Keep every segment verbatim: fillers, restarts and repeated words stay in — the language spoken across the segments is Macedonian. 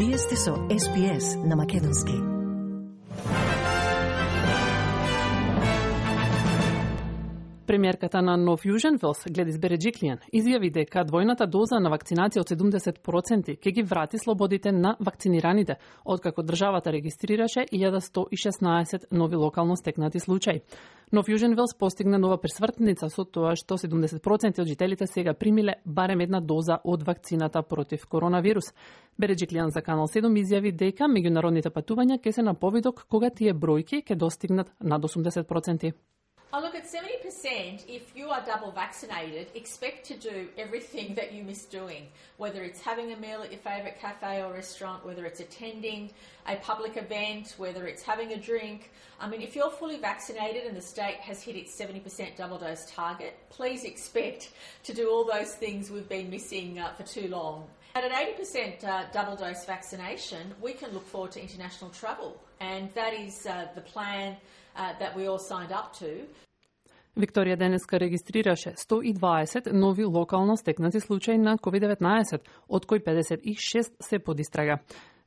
Вие сте со Ес Би Ес на Македонски. Премиерката на Нов Јужен Велс, Гледис Береджиклијан, изјави дека двојната доза на вакцинација од седумдесет проценти ќе ги врати слободите на вакцинираните, откако државата регистрираше илјада сто и шеснаесет нови локално стекнати случаи. Нов Јужен Велс постигна нова пресвртница со тоа што седумдесет проценти од жителите сега примиле барем една доза од вакцината против коронавирус. Береджиклијан за Канал седум изјави дека меѓународните патувања ќе се на повидок кога тие бројки ќе достигнат над осумдесет проценти. Oh, look, at seventy percent, if you are double vaccinated, expect to do everything that you miss doing, whether it's having a meal at your favourite cafe or restaurant, whether it's attending a public event, whether it's having a drink. I mean, if you're fully vaccinated and the state has hit its seventy percent double dose target, please expect to do all those things we've been missing uh, for too long. At an eighty percent uh, double dose vaccination, we can look forward to international travel, and that is uh, the plan uh, that we all signed up to. Викторија денеска регистрираше сто и дваесет нови локално стекнати случаи на ковид деветнаесет, од кои педесет и шест се под истрага.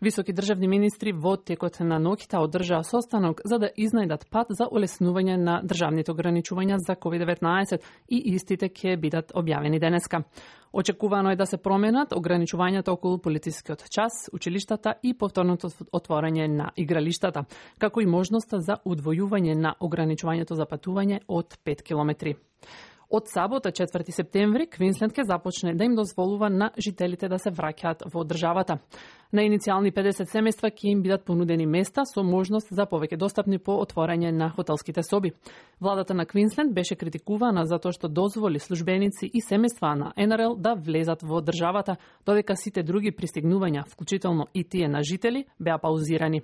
Високи државни министри во текот на ноќта одржаа состанок за да изнајдат пат за олеснување на државните ограничувања за ковид деветнаесет и истите ќе бидат објавени денеска. Очекувано е да се променат ограничувањата околу полицискиот час, училиштата и повторното отворање на игралиштата, како и можноста за удвојување на ограничувањето за патување од пет километри. Од сабота, четврти септември, Квинсленд ќе започне да им дозволува на жителите да се враќаат во државата. На иницијални педесет семејства ќе им бидат понудени места со можност за повеќе достапни по отворање на хотелските соби. Владата на Квинсленд беше критикувана за тоа што дозволи службеници и семејства на Ен Ар Ел да влезат во државата, додека сите други пристигнувања, вклучително и тие на жители, беа паузирани.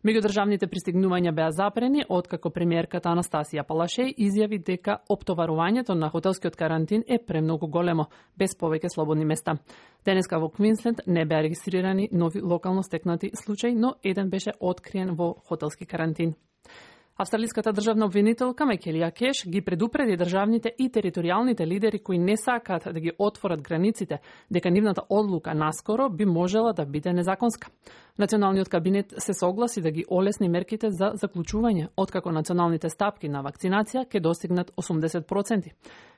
Меѓудржавните пристигнувања беа запрени, откако премиерката Анастасија Палашеј изјави дека оптоварувањето на хотелскиот карантин е премногу големо, без повеќе слободни места. Денеска во Квинсленд не беа регистрирани нови локално стекнати случаи, но еден беше откриен во хотелски карантин. Австралиската државна обвинителка Мекелија Кеш ги предупреди државните и територијалните лидери кои не сакаат да ги отворат границите, дека нивната одлука наскоро би можела да биде незаконска. Националниот кабинет се согласи да ги олесни мерките за заклучување, откако националните стапки на вакцинација ќе достигнат осумдесет проценти.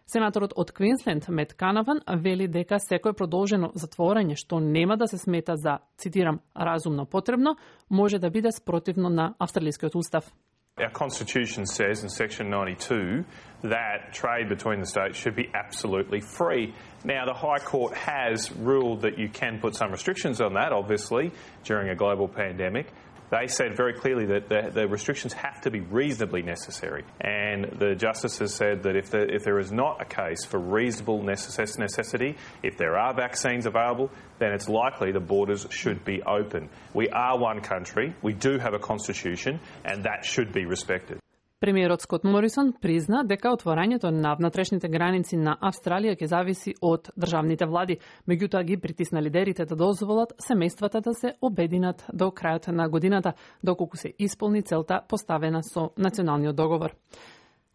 Сенаторот од Квинсленд Мет Канаван вели дека секое продолжено затворање што нема да се смета за, цитирам, разумно потребно, може да биде спротивно на австралискиот устав. Our Constitution says in Section ninety-two that trade between the states should be absolutely free. Now, the High Court has ruled that you can put some restrictions on that, obviously, during a global pandemic. They said very clearly that the, the restrictions have to be reasonably necessary. And the justices said that if, the, if there is not a case for reasonable necess- necessity, if there are vaccines available, then it's likely the borders should be open. We are one country, we do have a constitution, and that should be respected. Премиерот Скот Морисон призна дека отворањето на внатрешните граници на Австралија ќе зависи од државните влади, меѓутоа ги притисна лидерите да дозволат семејствата да се обединат до крајот на годината, доколку се исполни целта поставена со националниот договор.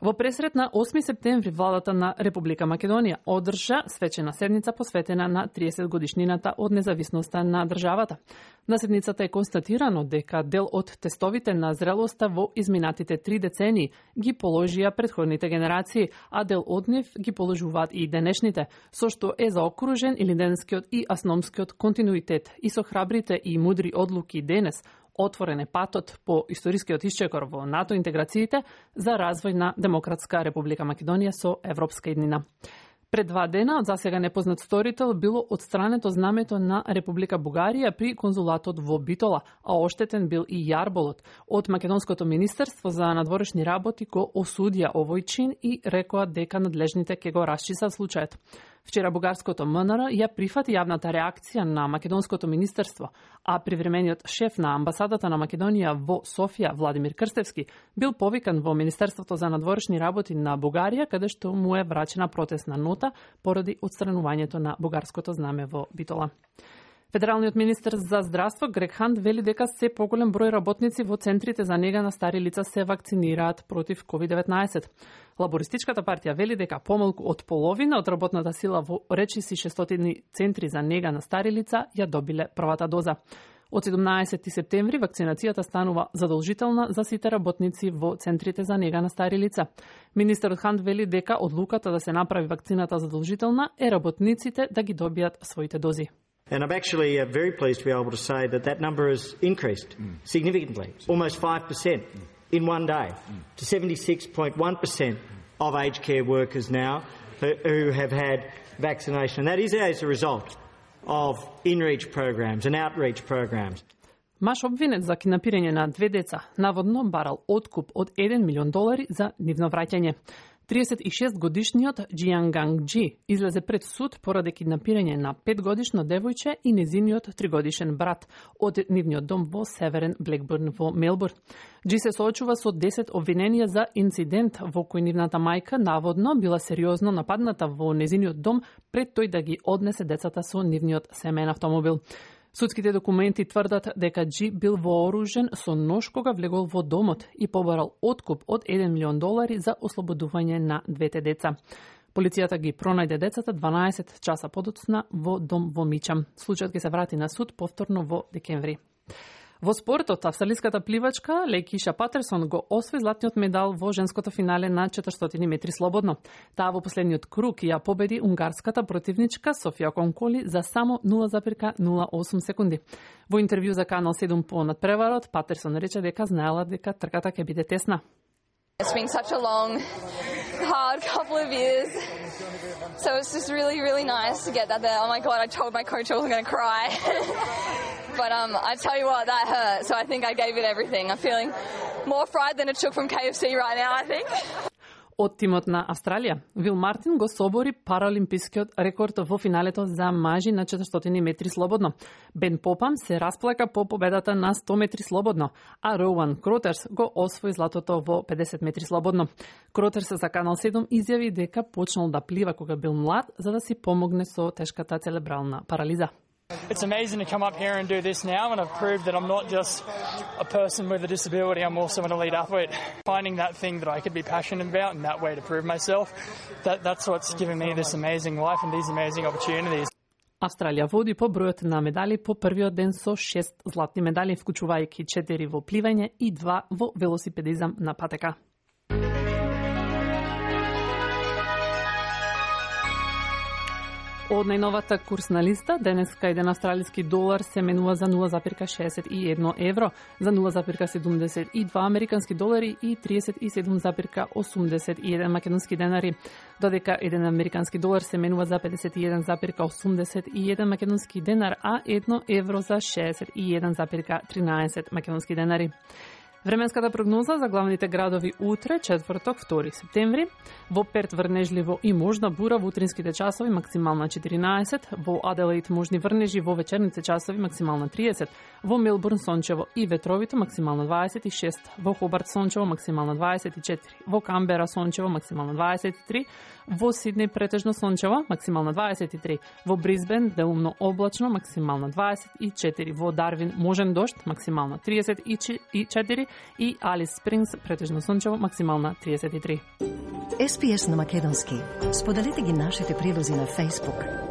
Во пресрет на осми септември владата на Република Македонија одржа свечена седница посветена на триесет годишнината од независноста на државата. На седницата е констатирано дека дел од тестовите на зрелоста во изминатите три децении ги положија претходните генерации, а дел од нив ги положуваат и денешните, со што е заокружен илиденскиот и асономскиот континуитет и со храбрите и мудри одлуки денес отворен е патот по историскиот исчекор во НАТО интеграциите за развој на Демократска Република Македонија со европска иднина. Пред два дена од засега непознат сторител било отстрането знамето на Република Бугарија при конзулатот во Битола, а оштетен бил и јарболот. Од Македонското министерство за надворешни работи го осудија овој чин и рекоа дека надлежните ќе го расчистат случајот. Вчера бугарското М Н Р ја прифати јавната реакција на Македонското министерство, а привремениот шеф на амбасадата на Македонија во Софија, Владимир Крстевски, бил повикан во Министерството за надворешни работи на Бугарија, каде што му е врачена протестна нота поради отстранувањето на бугарското знаме во Битола. Федералниот министер за здравство Грег Хант вели дека се поголем број работници во центрите за нега на стари лица се вакцинираат против ковид деветнаесет. Лабористичката партија вели дека помалку од половина од работната сила во речиси шестстотини центри за нега на стари лица ја добиле првата доза. Од седумнаесети септември вакцинацијата станува задолжителна за сите работници во центрите за нега на стари лица. Министерот Хант вели дека одлуката да се направи вакцината задолжителна е работниците да ги добијат своите дози. And I'm actually uh, very pleased to be able to say that that number has increased mm. significantly, almost five percent in one day, mm. to seventy-six point one percent of aged care workers now who, who have had vaccination. And that is as a result of in-reach programs and outreach programs. Маж обвинет за киднапирање на две деца наводно барал откуп од еден милион долари за нивно враќање. триесет и шест годишниот Џијан Ганг Џи излезе пред суд поради киднапирање на петгодишно девојче и незиниот тригодишен брат од нивниот дом во Северен Блекбурн во Мелбурн. Џи се соочува со десет обвиненија за инцидент во кој нивната мајка наводно била сериозно нападната во незиниот дом пред тој да ги однесе децата со нивниот семеен автомобил. Судските документи тврдат дека Џи бил вооружен со нож кога влегол во домот и побарал откуп од еден милион долари за ослободување на двете деца. Полицијата ги пронајде децата дванаесет часа подоцна во дом во Мичам. Случајот ќе се врати на суд повторно во декември. Во спортот, австралиската пливачка Лејкиша Патерсон го освои златниот медал во женското финале на четиристотини метри слободно. Таа во последниот круг ја победи унгарската противничка Софија Конколи за само нула зарез нула осум секунди. Во интервју за Канал седум по надпреварот, Патерсон рече дека знаела дека трката ќе биде тесна. It's been such a long, hard couple of years. So it's just really, really nice to get that there. Oh my God, I told my coach I wasn't going to cry. But um, I tell you what, that hurt. So I think I gave it everything. I'm feeling more fried than it took from K F C right now, I think. Од тимот на Австралија, Вил Мартин го собори паралимпискиот рекорд во финалето за мажи на четиристотини метри слободно. Бен Попам се расплака по победата на сто метри слободно, а Роуан Кротерс го освои златото во педесет метри слободно. Кротерс за Канал седум изјави дека почнал да плива кога бил млад за да си помогне со тешката церебрална парализа. It's amazing to come up here and do this now, and I've proved that I'm not just a person with a disability, I'm also an elite athlete. Finding that thing that I could be passionate about and that way to prove myself, that, that's what's given me this amazing life and these amazing opportunities. Австралија води по бројот на медали по првиот ден со шест златни медали, вклучувајќи четири во пливање и два во велосипедизам на патека. Од најновата курсна листа, денеска еден австралиски долар се менува за нула зарез шеесет и едно евро, за нула зарез седумдесет и два американски долари и триесет и седум зарез осумдесет и еден македонски денари, додека еден американски долар се менува за педесет и еден зарез осумдесет и еден македонски денар, а едно евро за шеесет и еден зарез тринаесет македонски денари. Временската прогноза за главните градови утре, четврток, втори септември. Во Перт врнежливо и можна бура во утринските часови, максимална четиринаесет. Во Аделаид можни врнежи во вечерните часови, максимална триесет. Во Мелбурн сончево и ветровито, максимална дваесет и шест. Во Хобарт сончево, максимална дваесет и четири. Во Камбера сончево, максимална дваесет и три. Во Сиднеј претежно сончево, максимална дваесет и три. Во Брисбен делумно облачно, максимална дваесет и четири. Во Дарвин можен дожд, максимална триесет и четири. И Алис Спрингс претежно сончево, максимална триесет и три. Ес Пи Ес на македонски. Споделете ги нашите прилози на Facebook.